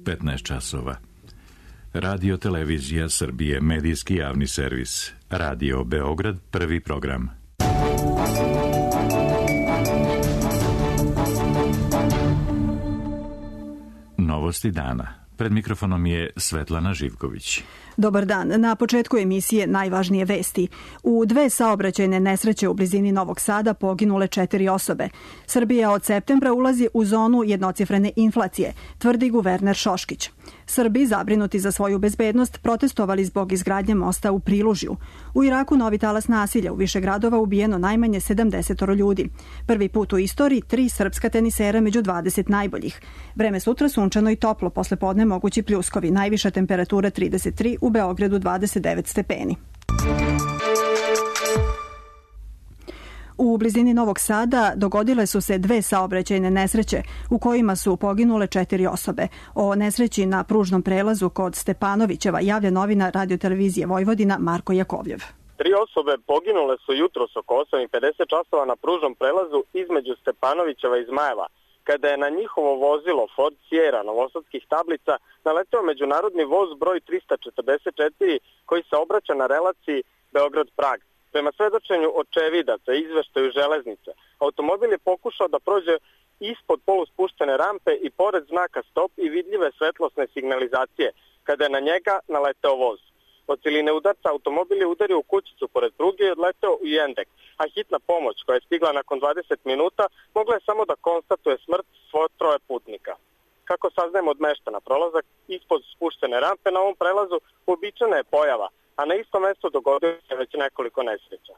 15 časova. Radio Televizija Srbije, medijski javni servis. Radio Beograd, prvi program. Novosti dana. Pred mikrofonom je Svetlana Živković. Dobar dan. Na početku emisije najvažnije vesti. U 2 saobraćajne nesreće u blizini Novog Sada poginule 4 osobe. Srbija od septembra ulazi u zonu jednocifrene inflacije, tvrdi guverner Šoškić. Srbi, zabrinuti za svoju bezbednost, protestovali zbog izgradnje mosta u Prilužju. U Iraku novi talas nasilja, u više gradova ubijeno najmanje 70 ljudi. Prvi put u istoriji 3 srpska tenisera među 20 najboljih. Vreme sutra sunčano i toplo, posle podne mogući pljuskovi, najviša temperatura 33, u Beogradu 29 stepeni. U blizini Novog Sada dogodile su se 2 saobraćajne nesreće u kojima su poginule 4 osobe. O nesreći na pružnom prelazu kod Stepanovićeva javlja novinar Radio-televizije Vojvodina Marko Jakovljev. 3 osobe poginule su jutros oko 8:50 časova na pružnom prelazu između Stepanovićeva i Zmajeva, kada je na njihovo vozilo Ford Sierra novosadskih tablica naleteo međunarodni voz broj 344 koji se obraća na relaciji Beograd-Prag. Prema svedočenju očevidaca i izveštaju železnice, automobil je pokušao da prođe ispod poluspuštene rampe i pored znaka stop i vidljive svetlosne signalizacije, kada je na njega naleteo voz. Od siline udarca automobil je udario u kućicu pored pruge i odleteo u Jendek, a hitna pomoć koja je stigla nakon 20 minuta mogla je samo da konstatuje smrt svoje 3 putnika. Kako saznajemo od meštana, prolazak ispod spuštene rampe na ovom prelazu uobičajena je pojava, a na isto mesto dogodilo se već nekoliko nesreća.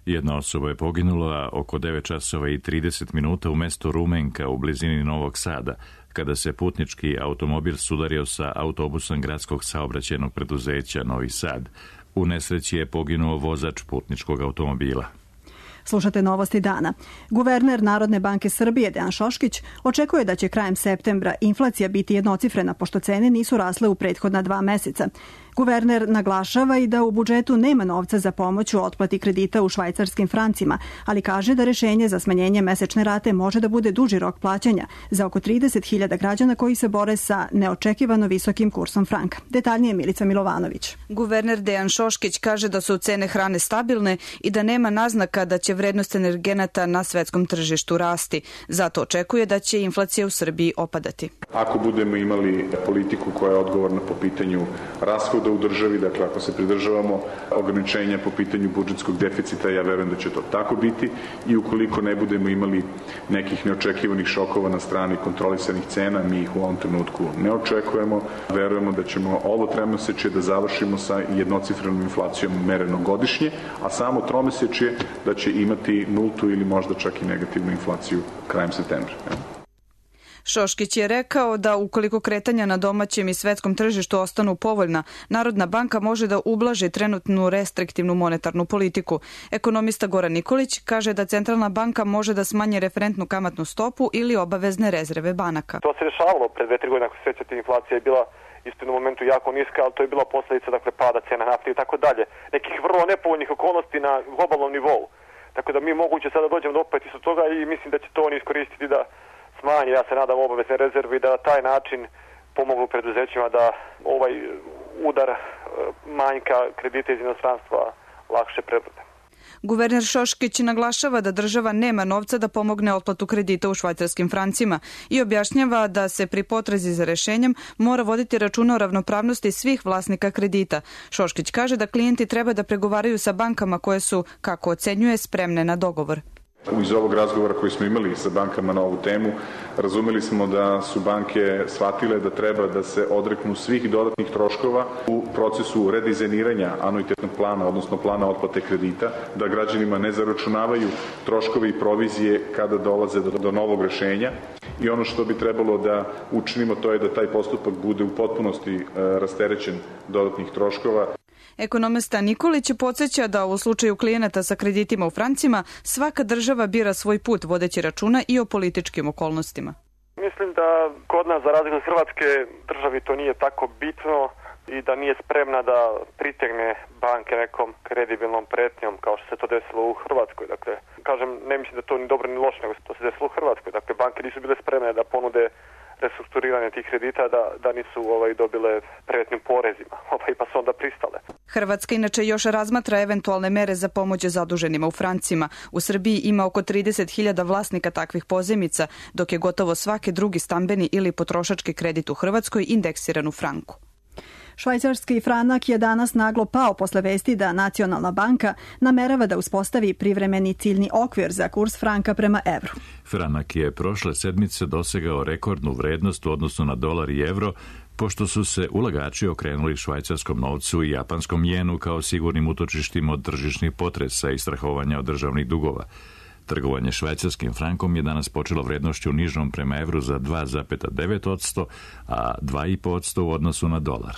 Jedna osoba je poginula oko 9 časova i 30 minuta u mestu Rumenka u blizini Novog Sada, kada se putnički automobil sudario sa autobusom gradskog saobraćajnog preduzeća Novi Sad. U nesreći je poginuo vozač putničkog automobila. Slušate novosti dana. Guverner Narodne banke Srbije Dejan Šoškić očekuje da će krajem septembra inflacija biti jednocifrena, pošto cene nisu rasle u prethodna 2 meseca. Guverner naglašava i da u budžetu nema novca za pomoć u otplati kredita u švajcarskim francima, ali kaže da rešenje za smanjenje mesečne rate može da bude duži rok plaćanja za oko 30.000 građana koji se bore sa neočekivano visokim kursom franka. Detaljnije Milica Milovanović. Guverner Dejan Šoškić kaže da su cene hrane stabilne i da nema naznaka da će vrednost energenata na svetskom tržištu rasti. Zato očekuje da će inflacija u Srbiji opadati. Ako budemo imali politiku koja je odgovorna po pitanju rashoda u državi, dakle ako se pridržavamo ograničenja po pitanju budžetskog deficita, ja verujem da će to tako biti, i ukoliko ne budemo imali nekih neočekivanih šokova na strani kontrolisanih cena, mi ih u ovom trenutku ne očekujemo, verujemo da ćemo ovo tromesečje da završimo sa jednocifrenom inflacijom mereno godišnje, a samo tromesečje da će imati nultu ili možda čak i negativnu inflaciju krajem septembra. Šoškić je rekao da ukoliko kretanja na domaćem i svetskom tržištu ostanu povoljna, Narodna banka može da ublaži trenutnu restriktivnu monetarnu politiku. Ekonomista Goran Nikolić kaže da Centralna banka može da smanji referentnu kamatnu stopu ili obavezne rezerve banaka. To se dešavalo pred 2-3 godine, ako se sjećate, inflacija je bila isto na momentu jako niska, ali to je bila posljedica pada cena nafte i tako dalje. Nekih vrlo nepovoljnih okolnosti na globalnom nivou. Tako da mi moguće sada dođemo do opet isto toga i mislim da će to oni iskoristiti da smanji, ja se nadam, obavezne rezerve i da na taj način pomognu preduzećima da ovaj udar manjka kredita iz inostranstva lakše prebrode. Guverner Šoškić naglašava da država nema novca da pomogne otplatu kredita u švajcarskim francima i objašnjava da se pri potrazi za rešenjem mora voditi računa o ravnopravnosti svih vlasnika kredita. Šoškić kaže da klijenti treba da pregovaraju sa bankama koje su, kako ocenjuje, spremne na dogovor. Iz ovog razgovora koji smo imali sa bankama na ovu temu, razumeli smo da su banke shvatile da treba da se odreknu svih dodatnih troškova u procesu redizajniranja anuitetnog plana, odnosno plana otplate kredita, da građanima ne zaračunavaju troškovi i provizije kada dolaze do novog rešenja. I ono što bi trebalo da učinimo, to je da taj postupak bude u potpunosti rasterećen dodatnih troškova. Ekonomista Nikolić podsjeća da u slučaju klijenata sa kreditima u francima svaka država bira svoj put vodeći računa i o političkim okolnostima. Mislim da kod nas, za razliku od Hrvatske, državi to nije tako bitno i da nije spremna da pritegne banke nekom kredibilnom pretnjom kao što se to desilo u Hrvatskoj. Dakle, kažem, ne mislim da to ni dobro ni loše, nego se to se desilo u Hrvatskoj. Dakle, banke nisu bile spremne da ponude restrukturiranja tih kredita da nisu dobile prevetnim porezima, pa su onda pristale. Hrvatska inače još razmatra eventualne mere za pomoć zaduženima u francima. U Srbiji ima oko 30.000 vlasnika takvih pozajmica, dok je gotovo svaki drugi stambeni ili potrošački kredit u Hrvatskoj indeksiran u franku. Švajcarski franak je danas naglo pao posle vesti da Nacionalna banka namerava da uspostavi privremeni ciljni okvir za kurs franka prema evru. Franak je prošle sedmice dosegao rekordnu vrednost u odnosu na dolar i evro, pošto su se ulagači okrenuli švajcarskom novcu i japanskom jenu kao sigurnim utočištima od tržišnih potresa i strahovanja od državnih dugova. Trgovanje švajcarskim frankom je danas počelo vrednošću nižom prema evru za 2,9%, a 2,5% u odnosu na dolar.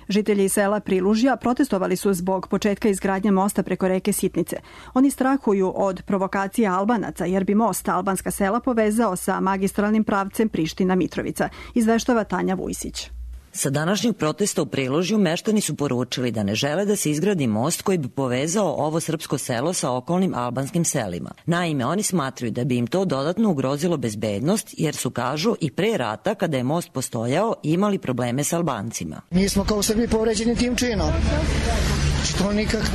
Žitelji sela Prilužja protestovali su zbog početka izgradnje mosta preko reke Sitnice. Oni strahuju od provokacija Albanaca jer bi most albanska sela povezao sa magistralnim pravcem Priština-Mitrovica, izveštava Tanja Vujsić. Sa današnjeg protesta u Prilužju meštani su poručili da ne žele da se izgradi most koji bi povezao ovo srpsko selo sa okolnim albanskim selima. Naime, oni smatraju da bi im to dodatno ugrozilo bezbednost jer su, kažu, i pre rata kada je most postojao imali probleme sa Albancima. Mi smo kao Srbi povređeni tim činom. To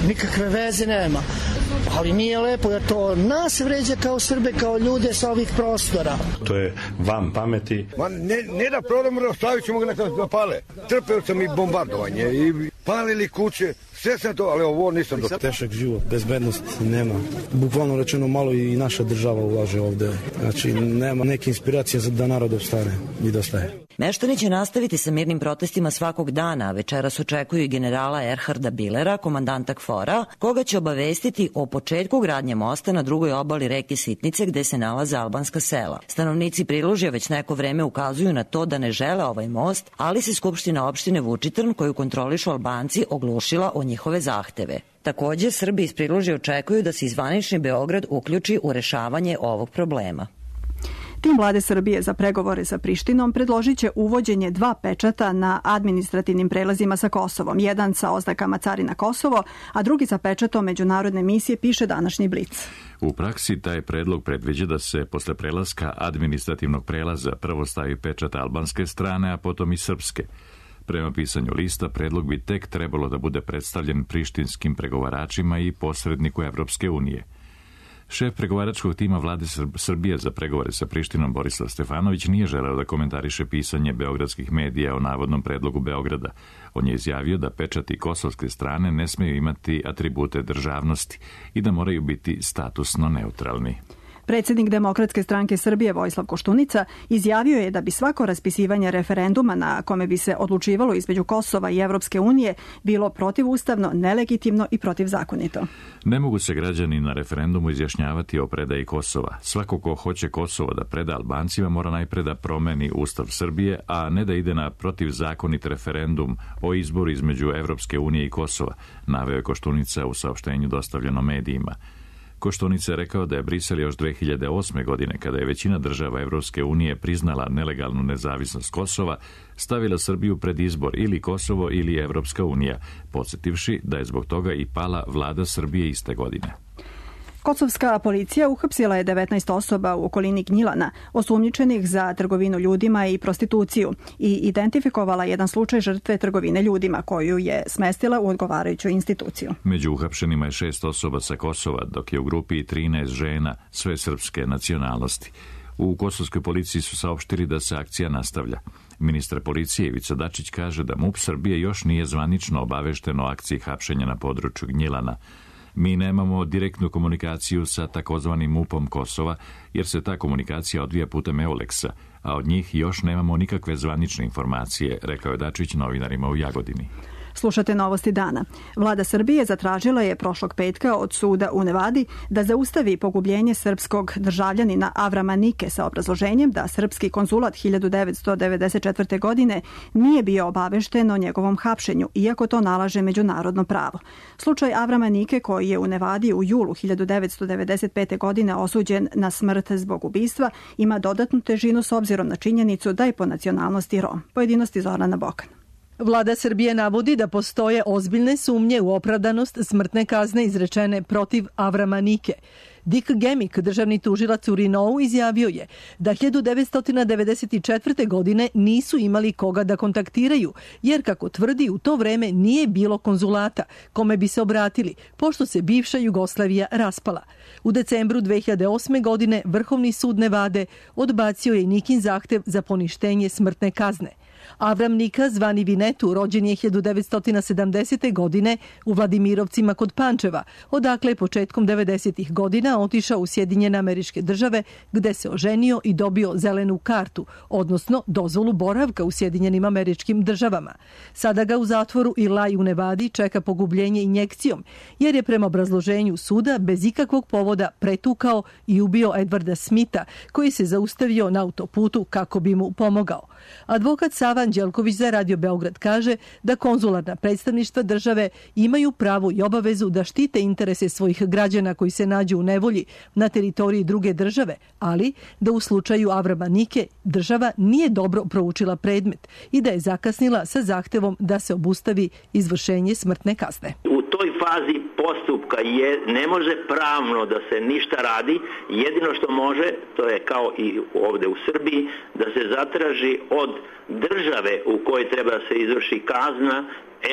nikakve veze nema. Ali nije lepo jer to nas vređa kao Srbe, kao ljude sa ovih prostora. To je van pameti. Ne da prodamo, stavit ćemo ga na pale. Trpeo sam i bombardovanje i palili kuće, sve sam to, ali ovo nisam do... Težak život, bezbednost nema. Bukvalno rečeno malo i naša država ulaže ovde. Znači, nema neke inspiracije da narod opstane i da staje. Meštani će nastaviti sa mirnim protestima svakog dana, a večeras očekuju i generala Erharda Bilera, komandanta KFOR-a, koga će obavestiti o početku gradnje mosta na drugoj obali reke Sitnice gde se nalaze albanska sela. Stanovnici Prilužja već neko vreme ukazuju na to da ne žele ovaj most, ali se Skupština opštine Vučitrn, koju kontrolišu Albanci, oglušila o njihove zahteve. Takođe, Srbi iz Prilužja očekuju da se zvanični Beograd uključi u rešavanje ovog problema. Tim vlade Srbije za pregovore sa Prištinom predložit će uvođenje 2 pečata na administrativnim prelazima sa Kosovom. Jedan sa oznakama Carina Kosovo, a drugi sa pečatom međunarodne misije, piše današnji Blic. U praksi taj predlog predviđa da se posle prelaska administrativnog prelaza prvo stavi pečat albanske strane, a potom i srpske. Prema pisanju lista, predlog bi tek trebalo da bude predstavljen prištinskim pregovaračima i posredniku Evropske unije. Šef pregovaračkog tima vlade Srbije za pregovore sa Prištinom Borislav Stefanović nije želeo da komentariše pisanje beogradskih medija o navodnom predlogu Beograda. On je izjavio da pečati kosovske strane ne smeju imati atribute državnosti i da moraju biti statusno neutralni. Predsjednik Demokratske stranke Srbije Vojislav Koštunica izjavio je da bi svako raspisivanje referenduma na kome bi se odlučivalo između Kosova i Evropske unije bilo protivustavno, nelegitimno i protivzakonito. Ne mogu se građani na referendumu izjašnjavati o predaji Kosova. Svako ko hoće Kosovo da preda Albancima mora najpre da promeni Ustav Srbije, a ne da ide na protivzakonit referendum o izboru između Evropske unije i Kosova, naveo je Koštunica u saopštenju dostavljeno medijima. Koštunica je rekao da je Brisel još 2008. godine, kada je većina država Evropske unije priznala nelegalnu nezavisnost Kosova, stavila Srbiju pred izbor ili Kosovo ili Evropska unija, podsjetivši da je zbog toga i pala vlada Srbije iste godine. Kosovska policija uhapsila je 19 osoba u okolini Gnjilana, osumnjičenih za trgovinu ljudima i prostituciju, i identifikovala jedan slučaj žrtve trgovine ljudima, koju je smestila u odgovarajuću instituciju. Među uhapšenima je 6 osoba sa Kosova, dok je u grupi 13 žena sve srpske nacionalnosti. U kosovskoj policiji su saopštili da se akcija nastavlja. Ministar policije Ivica Dačić kaže da MUP Srbije još nije zvanično obavešten o akciji hapšenja na području Gnjilana. Mi nemamo direktnu komunikaciju sa takozvanim MUP-om Kosova, jer se ta komunikacija odvija putem Euleksa, a od njih još nemamo nikakve zvanične informacije, rekao je Dačić novinarima u Jagodini. Slušate novosti dana. Vlada Srbije zatražila je prošlog petka od suda u Nevadi da zaustavi pogubljenje srpskog državljanina Avrama Nike sa obrazloženjem da srpski konzulat 1994. godine nije bio obavešten o njegovom hapšenju, iako to nalaže međunarodno pravo. Slučaj Avrama Nike, koji je u Nevadi u julu 1995. godine osuđen na smrt zbog ubistva, ima dodatnu težinu s obzirom na činjenicu da je po nacionalnosti Rom. Pojedinosti Zorana Bokan. Vlada Srbije navodi da postoje ozbiljne sumnje u opravdanost smrtne kazne izrečene protiv Avrama Nike. Dick Gemmick, državni tužilac u Rinou, izjavio je da 1994. godine nisu imali koga da kontaktiraju, jer kako tvrdi u to vreme nije bilo konzulata kome bi se obratili, pošto se bivša Jugoslavija raspala. U decembru 2008. godine Vrhovni sud Nevade odbacio je Nikin zahtev za poništenje smrtne kazne. Avram Nika, zvani Vinetu, rođen je 1970. godine u Vladimirovcima kod Pančeva, odakle je početkom 90. godina otišao u Sjedinjene Američke Države, gde se oženio i dobio zelenu kartu, odnosno dozvolu boravka u Sjedinjenim Američkim Državama. Sada ga u zatvoru Ilaj u Nevadi čeka pogubljenje injekcijom, jer je prema obrazloženju suda bez ikakvog povoda pretukao i ubio Edwarda Smitha, koji se zaustavio na autoputu kako bi mu pomogao. Advokat Sava Anđelković za Radio Beograd kaže da konzularna predstavništva države imaju pravo i obavezu da štite interese svojih građana koji se nađu u nevolji na teritoriji druge države, ali da u slučaju Avrama Nike država nije dobro proučila predmet i da je zakasnila sa zahtevom da se obustavi izvršenje smrtne kazne. U toj fazi postupka ne može pravno da se ništa radi, jedino što može, to je kao i ovde u Srbiji, da se zatraži od države u kojoj treba da se izvrši kazna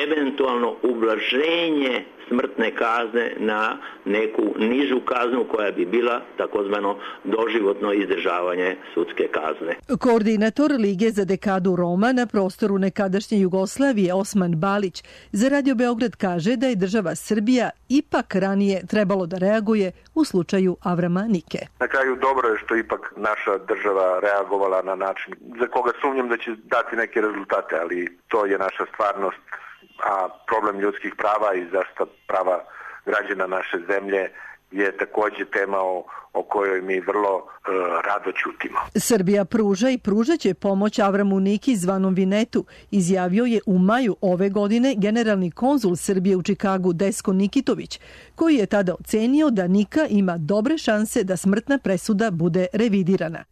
eventualno ublaženje smrtne kazne na neku nižu kaznu koja bi bila takozvano doživotno izdržavanje sudske kazne. Koordinator Lige za dekadu Roma na prostoru nekadašnje Jugoslavije Osman Balić za Radio Beograd kaže da je država Srbija ipak ranije trebalo da reaguje u slučaju Avrama Nike. Na kraju dobro je što ipak naša država reagovala na način za koga sumnjam da će dati neke rezultate, ali to je naša stvarnost. A problem ljudskih prava i zaštita prava građana naše zemlje je takođe tema o kojoj mi vrlo rado ćutimo. Srbija pruža i pružaće pomoć Avramu Niki zvanom Vinetu, izjavio je u maju ove godine generalni konzul Srbije u Čikagu Desko Nikitović, koji je tada ocenio da Nika ima dobre šanse da smrtna presuda bude revidirana.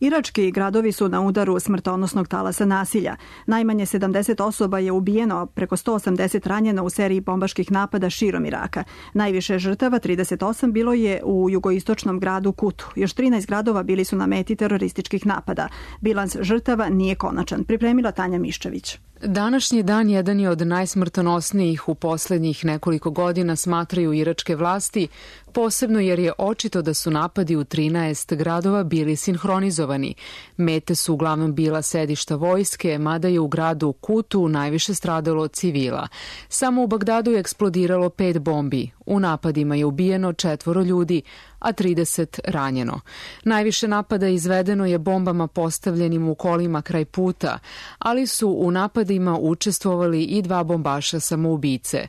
Irački gradovi su na udaru smrtonosnog talasa nasilja. Najmanje 70 osoba je ubijeno, preko 180 ranjeno u seriji bombaških napada širom Iraka. Najviše žrtava, 38, bilo je u jugoistočnom gradu Kutu. Još 13 gradova bili su na meti terorističkih napada. Bilans žrtava nije konačan. Pripremila Tanja Miščević. Današnji dan jedan je od najsmrtonosnijih u poslednjih nekoliko godina, smatraju iračke vlasti, posebno jer je očito da su napadi u 13 gradova bili sinhronizovani. Mete su uglavnom bila sedišta vojske, mada je u gradu Kutu najviše stradalo civila. Samo u Bagdadu je eksplodiralo 5 bombi. U napadima je ubijeno 4 ljudi, a 30 ranjeno. Najviše napada izvedeno je bombama postavljenim u kolima kraj puta, ali su u napadima učestvovali i 2 bombaša samoubice.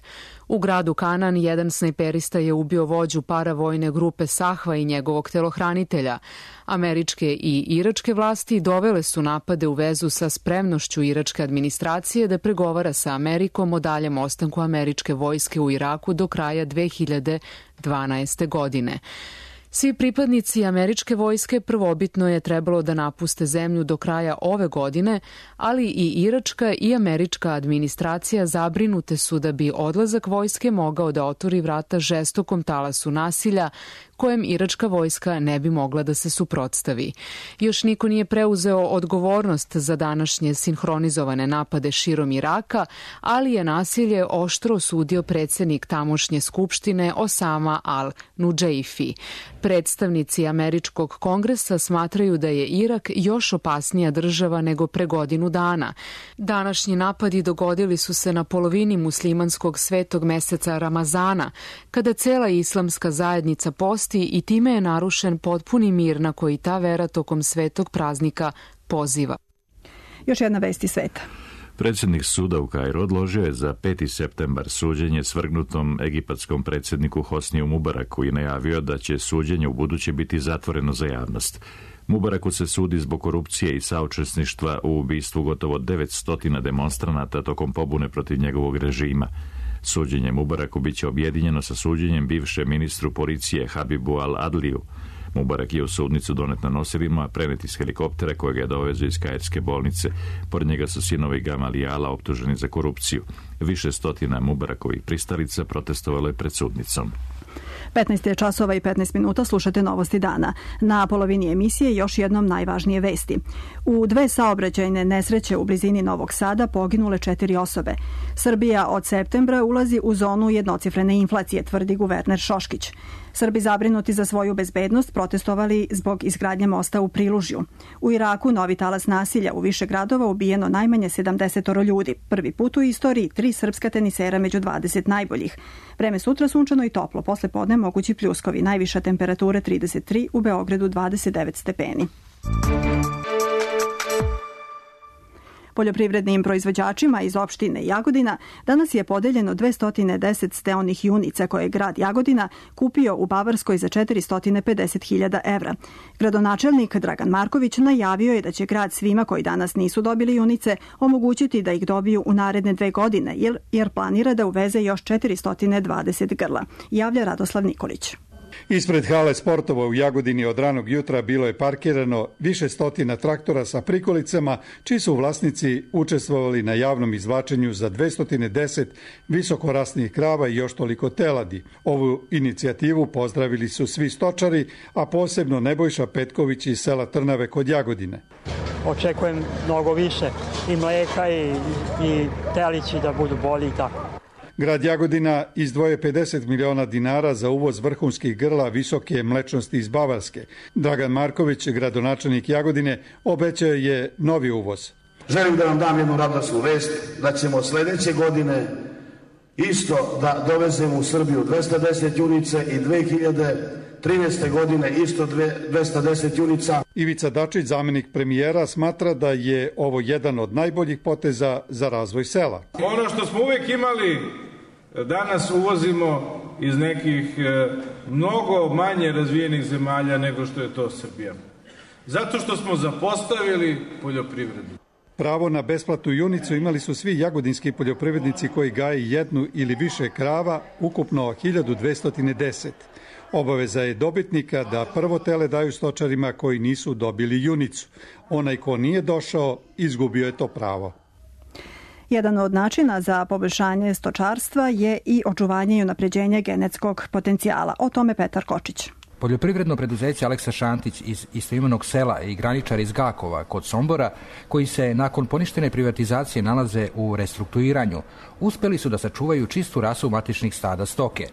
U gradu Kanan jedan snajperista je ubio vođu paravojne grupe Sahva i njegovog telohranitelja. Američke i iračke vlasti dovele su napade u vezu sa spremnošću iračke administracije da pregovara sa Amerikom o daljem ostanku američke vojske u Iraku do kraja 2012. godine. Svi pripadnici američke vojske prvobitno je trebalo da napuste zemlju do kraja ove godine, ali i iračka i američka administracija zabrinute su da bi odlazak vojske mogao da otvori vrata žestokom talasu nasilja kojem iračka vojska ne bi mogla da se suprotstavi. Još niko nije preuzeo odgovornost za današnje sinhronizovane napade širom Iraka, ali je nasilje oštro osudio predsednik tamošnje skupštine Osama al-Nudžeifi. Predstavnici američkog kongresa smatraju da je Irak još opasnija država nego pre godinu dana. Današnji napadi dogodili su se na polovini muslimanskog svetog meseca Ramazana, kada cela islamska zajednica posti i time je narušen potpuni mir na koji ta vera tokom svetog praznika poziva. Još jedna vest iz sveta. Predsjednik suda u Kairu odložio je za 5. septembar suđenje svrgnutom egipatskom predsjedniku Hosniju Mubaraku i najavio da će suđenje u buduće biti zatvoreno za javnost. Mubaraku se sudi zbog korupcije i saučesništva u ubistvu gotovo 900 demonstranata tokom pobune protiv njegovog režima. Suđenje Mubaraku biće objedinjeno sa suđenjem bivšem ministru policije Habibu al-Adliju. Mubarak je u sudnicu donet na nosilima, prenet iz helikoptera kojeg je dovezao iz kairske bolnice. Pored njega su sinovi Gamalijala optuženi za korupciju. Više stotina Mubarakovih pristalica protestovalo je pred sudnicom. 15 časova i 15 minuta, slušate Novosti dana. Na polovini emisije još jednom najvažnije vesti. U dve saobraćajne nesreće u blizini Novog Sada poginule 4 osobe. Srbija od septembra ulazi u zonu jednocifrene inflacije, tvrdi guverner Šoškić. Srbi zabrinuti za svoju bezbednost protestovali zbog izgradnje mosta u Prilužju. U Iraku novi talas nasilja, u više gradova ubijeno najmanje 70 ljudi. Prvi put u istoriji 3 srpska tenisera među 20 najboljih. Vreme sutra sunčano i toplo, posle podne mogući pljuskovi. Najviša temperatura 33, u Beogradu 29 stepeni. Poljoprivrednim proizvođačima iz opštine Jagodina danas je podeljeno 210 steonih junica koje je grad Jagodina kupio u Bavarskoj za 450.000 evra. Gradonačelnik Dragan Marković najavio je da će grad svima koji danas nisu dobili junice omogućiti da ih dobiju u naredne 2 godine, jer planira da uveze još 420 grla. Javlja Radoslav Nikolić. Ispred hale sportova u Jagodini od ranog jutra bilo je parkirano više stotina traktora sa prikolicama, čiji su vlasnici učestvovali na javnom izvlačenju za 210 visokorasnih krava i još toliko teladi. Ovu inicijativu pozdravili su svi stočari, a posebno Nebojša Petković iz sela Trnave kod Jagodine. Očekujem mnogo više i mleka i telići da budu bolji i tako. Grad Jagodina izdvoje 50 miliona dinara za uvoz vrhunskih grla visoke mlečnosti iz Bavarske. Dragan Marković, gradonačelnik Jagodine, obećao je novi uvoz. Želim da vam dam jednu radosnu vest da ćemo sledeće godine isto da dovezemo u Srbiju 210 junica i 2013. godine isto 210 junica. Ivica Dačić, zamenik premijera, smatra da je ovo jedan od najboljih poteza za razvoj sela. Ono što smo uvek imali, danas uvozimo iz nekih mnogo manje razvijenih zemalja nego što je to Srbija. Zato što smo zapostavili poljoprivredu. Pravo na besplatnu junicu imali su svi jagodinski poljoprivrednici koji gaje jednu ili više krava, ukupno 1210. Obaveza je dobitnika da prvo tele daju stočarima koji nisu dobili junicu. Onaj ko nije došao, izgubio je to pravo. Jedan od načina za poboljšanje stočarstva je i očuvanje i unapređenje genetskog potencijala. O tome Petar Kočić. Poljoprivredno preduzeće Aleksa Šantić iz istoimenog sela i graničar iz Gakova kod Sombora, koji se nakon poništene privatizacije nalaze u restrukturiranju, uspeli su da sačuvaju čistu rasu matičnih stada stoke.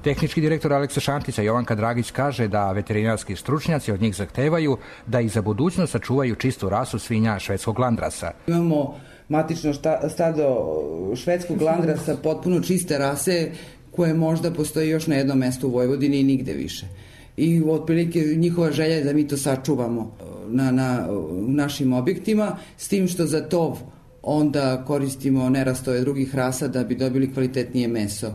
Tehnički direktor Aleksa Šantića Jovanka Dragić kaže da veterinarski stručnjaci od njih zahtevaju da i za budućnost sačuvaju čistu rasu svinja švedskog landrasa. Imamo matično stado švedskog landrasa potpuno čiste rase koje možda postoji još na jednom mestu u Vojvodini i nigde više. I otprilike njihova želja je da mi to sačuvamo u našim objektima, s tim što za to onda koristimo nerastove drugih rasa da bi dobili kvalitetnije meso.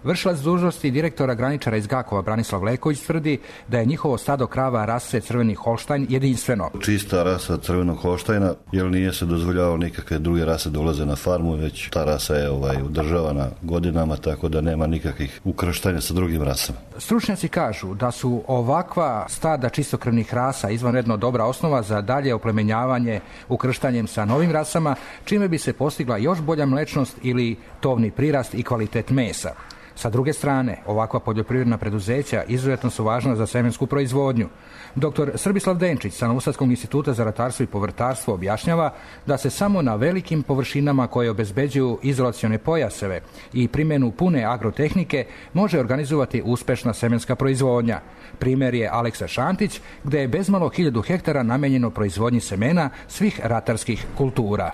Vršilac dužnosti direktora graničara iz Gakova Branislav Leković tvrdi da je njihovo stado krava rase Crveni Holštajn jedinstveno. Čista rasa Crvenog Holštajna, jer nije se dozvoljavalo nikakve druge rase da ulaze na farmu, već ta rasa je udržavana godinama, tako da nema nikakvih ukrštanja sa drugim rasama. Stručnjaci kažu da su ovakva stada čistokrvnih rasa izvanredno dobra osnova za dalje oplemenjavanje ukrštanjem sa novim rasama, čime bi se postigla još bolja mlečnost ili tovni prirast i kvalitet mesa. Sa druge strane, ovakva poljoprivredna preduzeća izuzetno su važna za semensku proizvodnju. Dr. Srbislav Denčić sa Novosadskog instituta za ratarstvo i povrtarstvo objašnjava da se samo na velikim površinama koje obezbeđuju izolacione pojaseve i primjenu pune agrotehnike može organizovati uspešna semenska proizvodnja. Primjer je Aleksa Šantić, gde je bezmalo 1000 hektara namenjeno proizvodnji semena svih ratarskih kultura.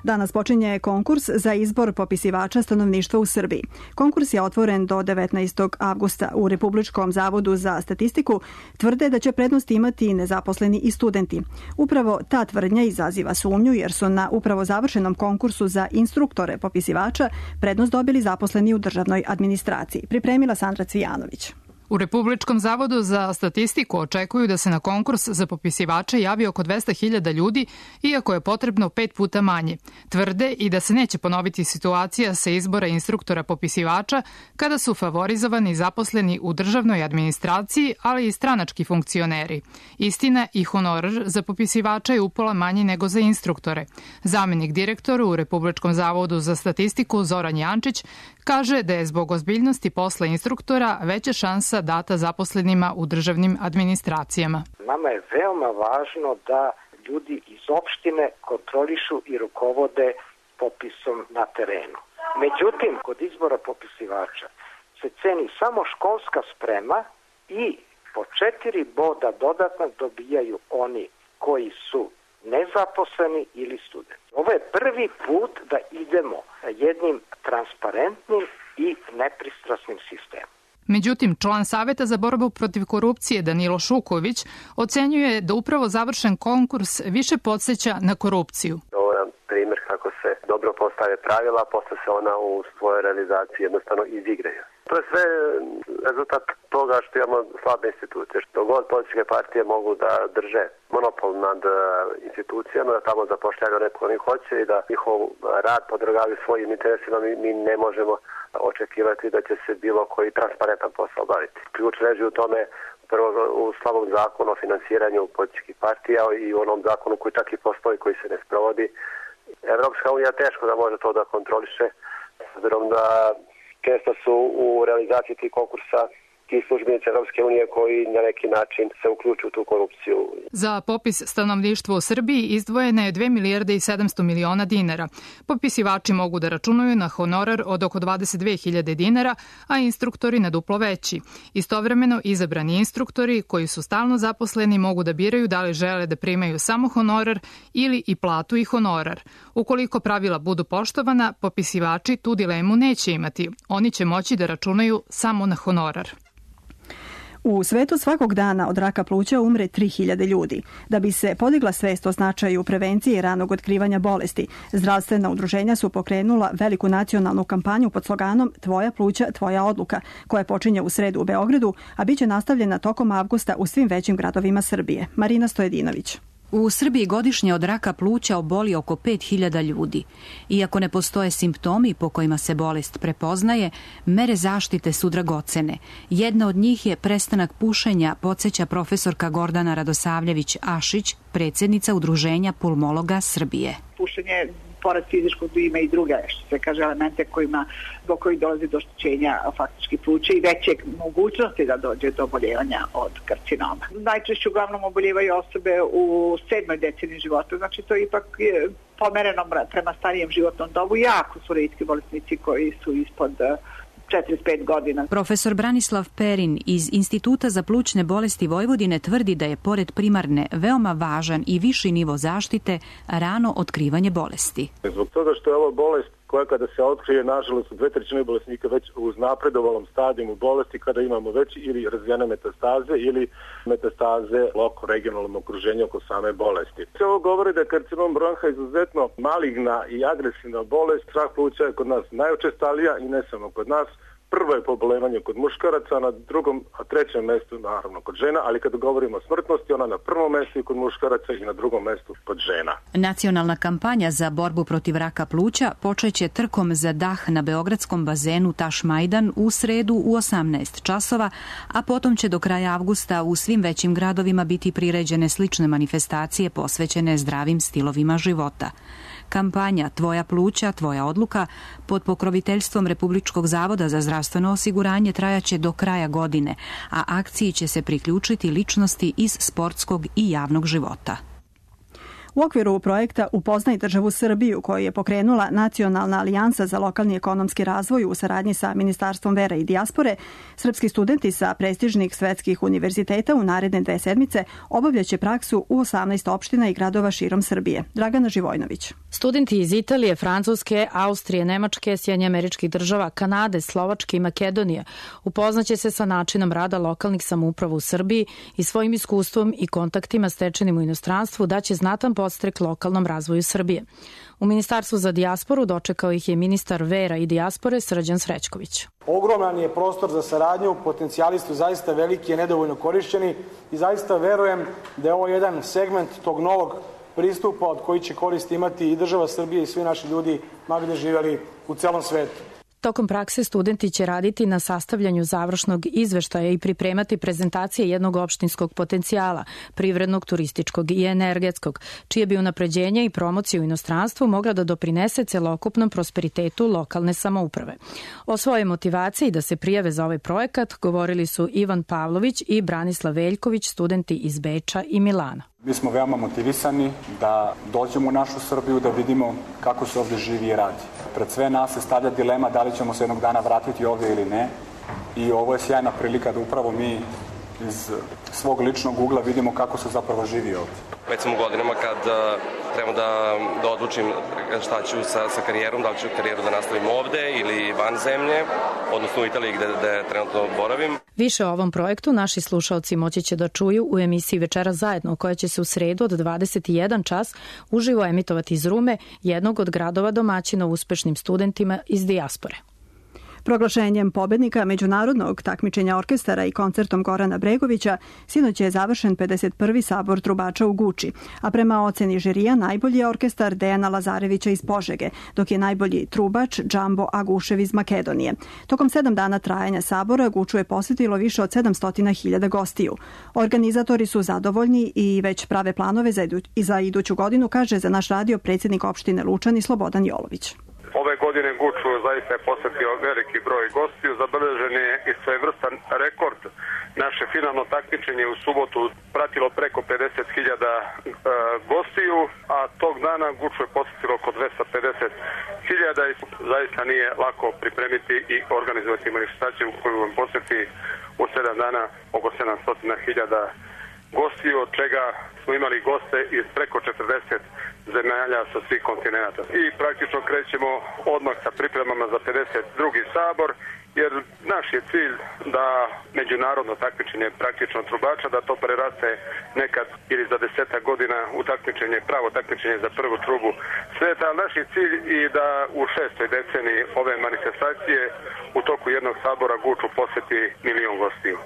Danas počinje konkurs za izbor popisivača stanovništva u Srbiji. Konkurs je otvoren do 19. avgusta. U Republičkom zavodu za statistiku tvrde da će prednost imati i nezaposleni i studenti. Upravo ta tvrdnja izaziva sumnju jer su na upravo završenom konkursu za instruktore popisivača prednost dobili zaposleni u državnoj administraciji. Pripremila Sandra Cvijanović. U Republičkom zavodu za statistiku očekuju da se na konkurs za popisivače javi oko 200.000 ljudi, iako je potrebno 5 puta manje. Tvrde i da se neće ponoviti situacija sa izbora instruktora popisivača kada su favorizovani zaposleni u državnoj administraciji, ali i stranački funkcioneri. Istina, i honorar za popisivača je upola manji nego za instruktore. Zamenik direktora u Republičkom zavodu za statistiku Zoran Jančić kaže da je zbog ozbiljnosti posla instruktora veća šansa data zaposlenima u državnim administracijama. Nama je veoma važno da ljudi iz opštine kontrolišu i rukovode popisom na terenu. Međutim, kod izbora popisivača se ceni samo školska sprema i po 4 boda dodatno dobijaju oni koji su nezaposleni ili studenti. Ovo je prvi put da idemo jednim transparentnim i nepristrasnim sistemom. Međutim, član Saveta za borbu protiv korupcije Danilo Šuković ocenjuje da upravo završen konkurs više podsjeća na korupciju. Ovo je primjer kako se dobro postave pravila, posle se ona u svojoj realizaciji jednostavno izigraju. To je sve rezultat toga što imamo slabe institucije, što god političke partije mogu da drže monopol nad institucijama, da tamo zapošljavaju neko oni hoće i da njihov rad podvrgavaju svojim interesima, mi ne možemo očekivati da će se bilo koji transparentan posao baviti. Ključ leži u tome prvo u slabom zakonu o finansiranju političkih partija i u onom zakonu koji čak i postoji, koji se ne sprovodi. Evropska unija teško da može to da kontroliše, s obzirom da često su u realizaciji tih konkursa ti službenici Evropske unije koji na neki način se uključuju u tu korupciju. Za popis stanovništva u Srbiji izdvojene je 2 milijarde i 700 miliona dinara. Popisivači mogu da računaju na honorar od oko 22.000 dinara, a instruktori na duplo veći. Istovremeno, izabrani instruktori koji su stalno zaposleni mogu da biraju da li žele da primaju samo honorar ili i platu i honorar. Ukoliko pravila budu poštovana, popisivači tu dilemu neće imati. Oni će moći da računaju samo na honorar. U svetu svakog dana od raka pluća umre 3.000 ljudi. Da bi se podigla svest o značaju prevencije i ranog otkrivanja bolesti, zdravstvena udruženja su pokrenula veliku nacionalnu kampanju pod sloganom Tvoja pluća, tvoja odluka, koja počinje u sredu u Beogradu, a biće nastavljena tokom avgusta u svim većim gradovima Srbije. Marina Stojedinović. U Srbiji godišnje od raka pluća oboli oko 5.000 ljudi. Iako ne postoje simptomi po kojima se bolest prepoznaje, mere zaštite su dragocene. Jedna od njih je prestanak pušenja, podsjeća profesorka Gordana Radosavljević-Ašić, predsjednica Udruženja pulmologa Srbije. Pušenje pored fizičkog ima i druge, što se kaže, elemente zbog kojih dolazi do oštećenja faktički pluća i veće mogućnosti da dođe do oboljevanja od karcinoma. Najčešće uglavnom oboljevaju osobe u 7. deceniji života, znači to je ipak pomereno prema starijem životnom dobu. Jako su retki bolesnici koji su ispod 45 godina. Profesor Branislav Perin iz Instituta za plućne bolesti Vojvodine tvrdi da je pored primarne veoma važan i viši nivo zaštite rano otkrivanje bolesti. Zbog toga što je ova bolest koja kada se otkrije, nažalost, u 2/3 bolesnika već u napredovalom stadijumu bolesti, kada imamo već ili razvijene metastaze ili metastaze u regionalnom okruženju oko same bolesti. Sve ovo govori da je karcinom bronha izuzetno maligna i agresivna bolest. Rak pluća je kod nas najučestalija i ne samo kod nas. Prvo je pobolevanje kod muškaraca, na drugom, a trećem mestu naravno kod žena, ali kada govorimo o smrtnosti, ona na prvom mestu i kod muškaraca i na drugom mestu kod žena. Nacionalna kampanja za borbu protiv raka pluća počeće trkom za dah na beogradskom bazenu Taš Majdan u sredu u 18 časova, a potom će do kraja avgusta u svim većim gradovima biti priređene slične manifestacije posvećene zdravim stilovima života. Kampanja Tvoja pluća, tvoja odluka pod pokroviteljstvom Republičkog zavoda za zdravstveno osiguranje trajaće do kraja godine, a akciji će se priključiti ličnosti iz sportskog i javnog života. U okviru projekta Upoznaj državu Srbiju, koju je pokrenula Nacionalna alijansa za lokalni ekonomski razvoj u saradnji sa Ministarstvom vera i dijaspore, srpski studenti sa prestižnih svetskih univerziteta u naredne 2 sedmice obavljaće praksu u 18 opština i gradova širom Srbije. Dragana Živojnović. Studenti iz Italije, Francuske, Austrije, Nemačke, Sjedinjenih Američkih Država, Kanade, Slovačke i Makedonije upoznaće se sa načinom rada lokalnih samouprava u Srbiji i svojim iskustvom i kontaktima stečenim u inostranstvu daće znatan podstrek lokalnom razvoju Srbije. U Ministarstvu za dijasporu dočekao ih je ministar vera i dijaspore Srđan Srećković. Ogroman je prostor za saradnju, potencijali su zaista veliki i nedovoljno korišćeni i zaista verujem da je ovo jedan segment tog novog pristupa od koji će koristi imati i država Srbije i svi naši ljudi, ma gde živeli u celom svetu. Tokom prakse studenti će raditi na sastavljanju završnog izveštaja i pripremati prezentacije jednog opštinskog potencijala, privrednog, turističkog i energetskog, čije bi unapređenje i promocija u inostranstvu mogla da doprinese celokupnom prosperitetu lokalne samouprave. O svojoj motivaciji da se prijave za ovaj projekat govorili su Ivan Pavlović i Branislav Veljković, studenti iz Beča i Milana. Mi smo veoma motivisani da dođemo u našu Srbiju, da vidimo kako se ovde živi i radi. Pred sve nas se stavlja dilema da li ćemo se jednog dana vratiti ovde ili ne. I ovo je sjajna prilika da upravo mi iz svog ličnog ugla vidimo kako se zapravo živi ovde. Već sam u godinama kad treba da odlučim šta ću sa karijerom, da li ću karijeru da nastavim ovde ili van zemlje, odnosno u Italiji gde trenutno boravim. Više o ovom projektu naši slušaoci moći će da čuju u emisiji Večera zajedno, koja će se u sredu od 21 čas uživo emitovati iz Rume, jednog od gradova domaćina uspešnim studentima iz dijaspore. Proglašenjem pobednika međunarodnog takmičenja orkestara i koncertom Gorana Bregovića sinoć je završen 51. sabor trubača u Guči, a prema oceni žirija najbolji je orkestar Dejana Lazarevića iz Požege, dok je najbolji trubač Džambo Agušev iz Makedonije. Tokom 7 dana trajanja sabora Guču je posjetilo više od 700.000 gostiju. Organizatori su zadovoljni i već prave planove za iduću godinu, kaže za naš radio predsjednik opštine Lučani Slobodan Jolović. Ove godine Guču zaista je posjetio veliki broj gostiju, zabeležen je i svojevrstan rekord. Naše finalno takmičenje u subotu pratilo preko 50.000 gostiju, a tog dana Guču je posjetilo oko 250.000 i zaista nije lako pripremiti i organizovati manifestaciju koju vam posjeti u 7 dana oko 700.000 gostiju, od čega smo imali goste iz preko 40 zemalja sa svih kontinenta. I praktično krećemo odmah sa pripremama za 52. sabor, jer naš je cilj da međunarodno takmičenje praktično trubača, da to preraste nekad ili za 10 godina u takmičenje, pravo takmičenje za prvu trubu sveta. Naš je cilj i da u 6. deceniji ove manifestacije u toku jednog sabora Guču posjeti 1.000.000 gostiju.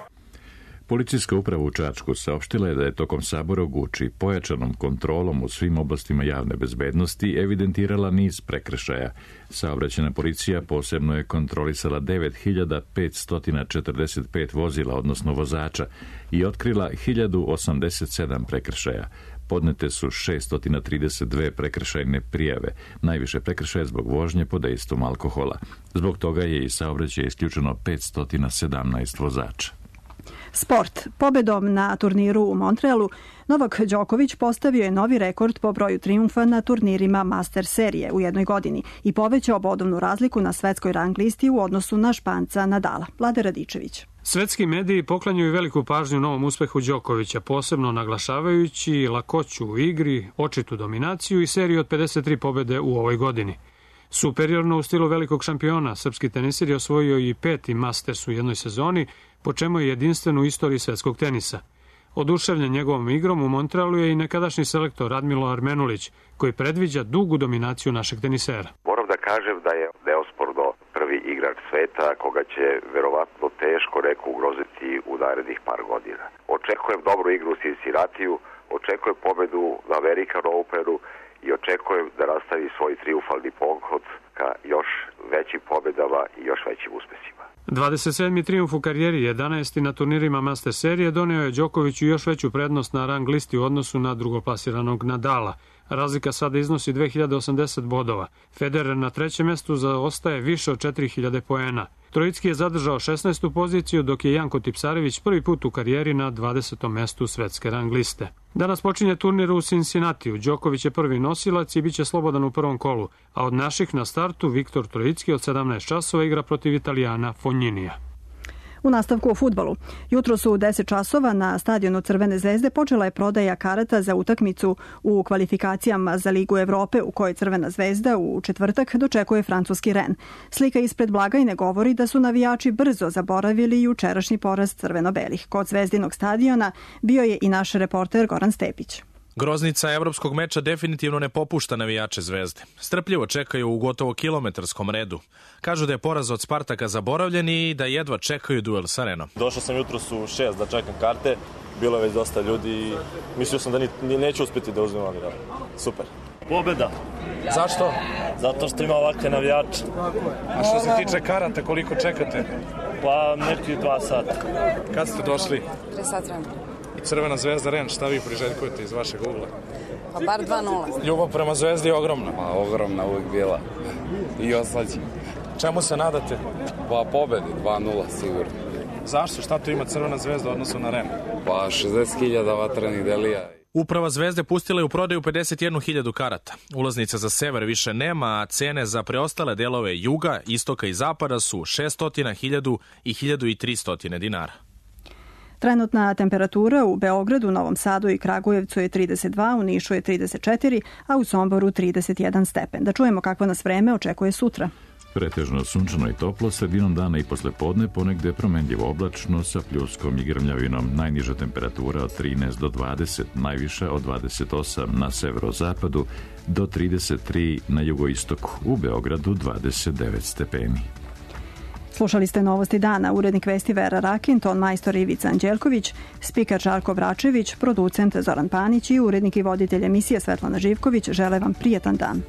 Policijska uprava u Čačku saopštila je da je tokom sabora u Guči pojačanom kontrolom u svim oblastima javne bezbednosti evidentirala niz prekršaja. Saobraćajna policija posebno je kontrolisala 9.545 vozila, odnosno vozača, i otkrila 1.087 prekršaja. Podnete su 632 prekršajne prijave, najviše prekršaje zbog vožnje pod dejstvom alkohola. Zbog toga je iz saobraćaja isključeno 517 vozača. Sport. Pobedom na turniru u Montrealu Novak Đoković postavio je novi rekord po broju trijumfa na turnirima Master serije u jednoj godini i povećao bodovnu razliku na svetskoj rang listi u odnosu na Španca Nadala. Vlade Radičević. Svetski mediji poklanjaju veliku pažnju novom uspehu Đokovića, posebno naglašavajući lakoću u igri, očitu dominaciju i seriju od 53 pobede u ovoj godini. Superiorno u stilu velikog šampiona, srpski tenisir je osvojio i 5. Masters u jednoj sezoni, po čemu je jedinstven u istoriji svetskog tenisa. Oduševljen njegovom igrom u Montrealu je i nekadašnji selektor Radmilo Armenulić, koji predviđa dugu dominaciju našeg tenisera. Moram da kažem da je neosporno prvi igrač sveta koga će verovatno teško neko ugroziti u narednih par godina. Očekujem dobru igru u Cincinnatiju, očekujem pobedu na American Openu i očekujem da nastavi svoj trijumfalni pohod ka još većim pobedama i još većim uspesima. 27. trijumf u karijeri, 11. na turnirima Master serije, doneo je Đokoviću još veću prednost na rang listi u odnosu na drugoplasiranog Nadala. Razlika sada iznosi 2080 bodova. Federer na 3. mestu zaostaje više od 4000 poena. Trojicki je zadržao 16. poziciju, dok je Janko Tipsarević prvi put u karijeri na 20. mestu svetske rang liste. Danas počinje turnir u Cincinnatiju. Đoković je prvi nosilac i bit će slobodan u prvom kolu, a od naših na startu Viktor Trojicki od 17 časova igra protiv Italijana Fogninija. U nastavku o fudbalu. Jutro su u 10 časova na stadionu Crvene zvezde počela je prodaja karata za utakmicu u kvalifikacijama za Ligu Evrope u kojoj Crvena zvezda u četvrtak dočekuje francuski Ren. Slika ispred blagajne govori da su navijači brzo zaboravili jučerašnji poraz crveno-belih. Kod Zvezdinog stadiona bio je i naš reporter Goran Stepić. Groznica evropskog meča definitivno ne popušta navijače Zvezde. Strpljivo čekaju u gotovo kilometarskom redu. Kažu da je poraz od Spartaka zaboravljen i da jedva čekaju duel sa Renom. Došao sam jutros u 6 da čekam karte, bilo je već dosta ljudi i mislio sam da neću uspjeti da uzmem, ali da, super. Pobjeda. Zašto? Zato što ima ovakve navijače. A što se tiče karata, koliko čekate? Pa neki 2 sata. Kad ste došli? 3 sata vremena. I Crvena Zvezda Ren, šta vi priželjkujete iz vašeg ugla? Pa bar 2-0. Ljubav prema Zvezdi je ogromna. Pa ogromna uvijek bila. I oslađi. Čemu se nadate? Pa pobedi, 2-0 sigurno. Zašto? Šta tu ima Crvena Zvezda u odnosu na Ren? Pa 60.000 vatrenih delija. Uprava Zvezde pustila je u prodaju 51.000 karata. Ulaznica za sever više nema, a cene za preostale delove juga, istoka i zapada su 600, 1000 i 1300 dinara. Trenutna temperatura u Beogradu, Novom Sadu i Kragujevcu je 32, u Nišu je 34, a u Somboru 31 stepen. Da čujemo kakvo nas vreme očekuje sutra. Pretežno sunčano i toplo, sredinom dana i poslepodne ponegde promenljivo oblačno sa pljuskom i grmljavinom. Najniža temperatura od 13 do 20, najviša od 28 na severozapadu do 33 na jugoistoku. U Beogradu 29 stepeni. Slušali ste Novosti dana, urednik vesti Vera Rakin, ton majstor Ivica Anđelković, spikar Žarko Vračević, producent Zoran Panić i urednik i voditelj emisije Svetlana Živković žele vam prijetan dan.